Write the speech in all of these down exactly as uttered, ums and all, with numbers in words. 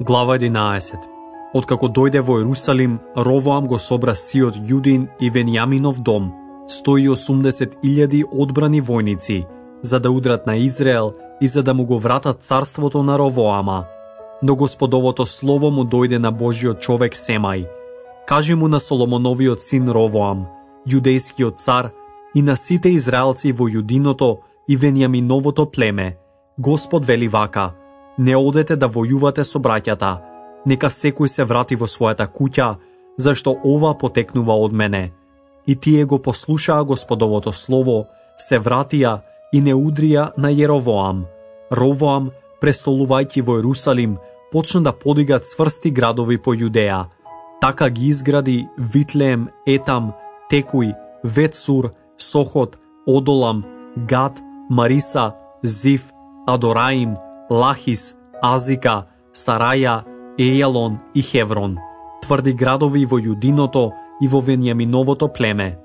Глава единаесет. Откако дојде во Ерусалим, Ровоам го собра сиот Јудин и Венијаминов дом, сто и осумдесет илјади одбрани војници, за да удрат на Израел и за да му го вратат царството на Ровоама. Но Господовото слово му дојде на Божиот човек Семај. Кажи му на Соломоновиот син Ровоам, јудејскиот цар, и на сите израелци во Јудиното и Венијаминовото племе: Господ вели вака: не одете да војувате со браќата, нека секој се врати во својата куќа, зашто ова потекнува од мене. И тие го послушаа Господовото слово, се вратија и не удрија на Јеровоам. Ровоам, престолувајќи во Ерусалим, почна да подига цврсти градови по Јудеја. Така ги изгради Витлеем, Етам, Текуј, Ветсур, Сохот, Одолам, Гат, Мариса, Зив, Адораим, Лахис, Азика, Сараја, Ејалон и Хеврон, тврди градови во Јудиното и во Венијаминовото племе.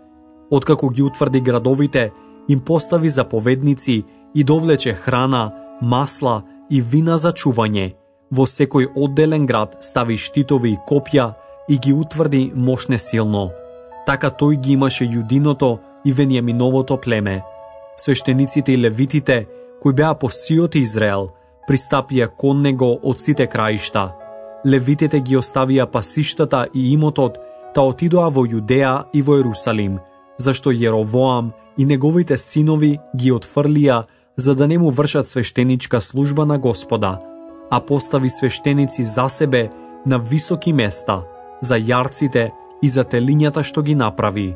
Откако ги утврди градовите, им постави заповедници и довлече храна, масла и вина за чување. Во секој одделен град стави штитови и копја и ги утврди мошне силно. Така тој ги имаше Јудиното и Венијаминовото племе. Свештениците и левитите, кои беа по сиот Израел, пристапија кон него од сите краишта. Левитите ги оставија пасиштата и имотот, та отидоа во Јудеја и во Ерусалим, зашто Јеровоам и неговите синови ги отфрлија, за да не му вршат свештеничка служба на Господа, а постави свештеници за себе на високи места, за јарците и за телињата што ги направи.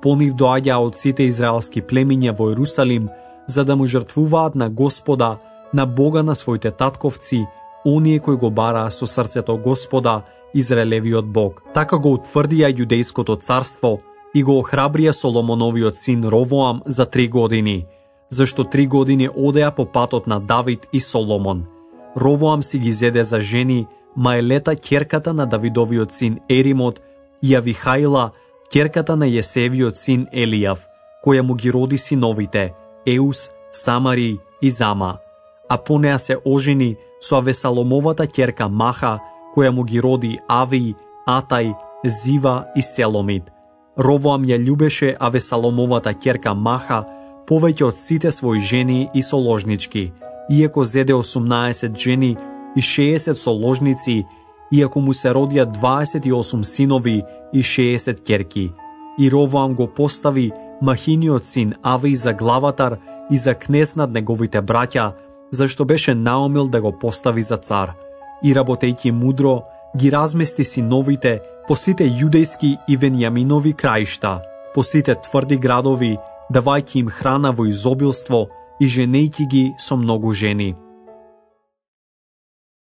По нив доаѓаа од сите израелски племиња во Ерусалим, за да му жртвуваат на Господа, на Бога на своите татковци, оние кои го бараа со срцето Господа, Израелевиот Бог. Така го утврдија Јудејското царство и го охрабрија Соломоновиот син Ровоам за три години, зашто три години одеа по патот на Давид и Соломон. Ровоам си ги зеде за жени Маелета, ќерката на Давидовиот син Еримот, и Авихаила, ќерката на Јесевиот син Елијав, која му ги роди синовите Еус, Самари и Зама. А по неа се ожени со Авесаломовата ќерка Маха, која му ги роди Ави, Атај, Зива и Селомит. Ровоам ја љубеше Авесаломовата ќерка Маха повеќе од сите своји жени и соложнички, иако зеде осумнаесет жени и шеесет соложници, иако му се родија дваесет и осум синови и шеесет ќерки. И Ровоам го постави Махиниот син Ави за главатар и за кнез над неговите браќа, зашто беше наумил да го постави за цар. И работејќи мудро, ги размести синовите по сите јудејски и Венијаминови краишта, по сите тврди градови, давајќи им храна во изобилство и женејќи ги со многу жени.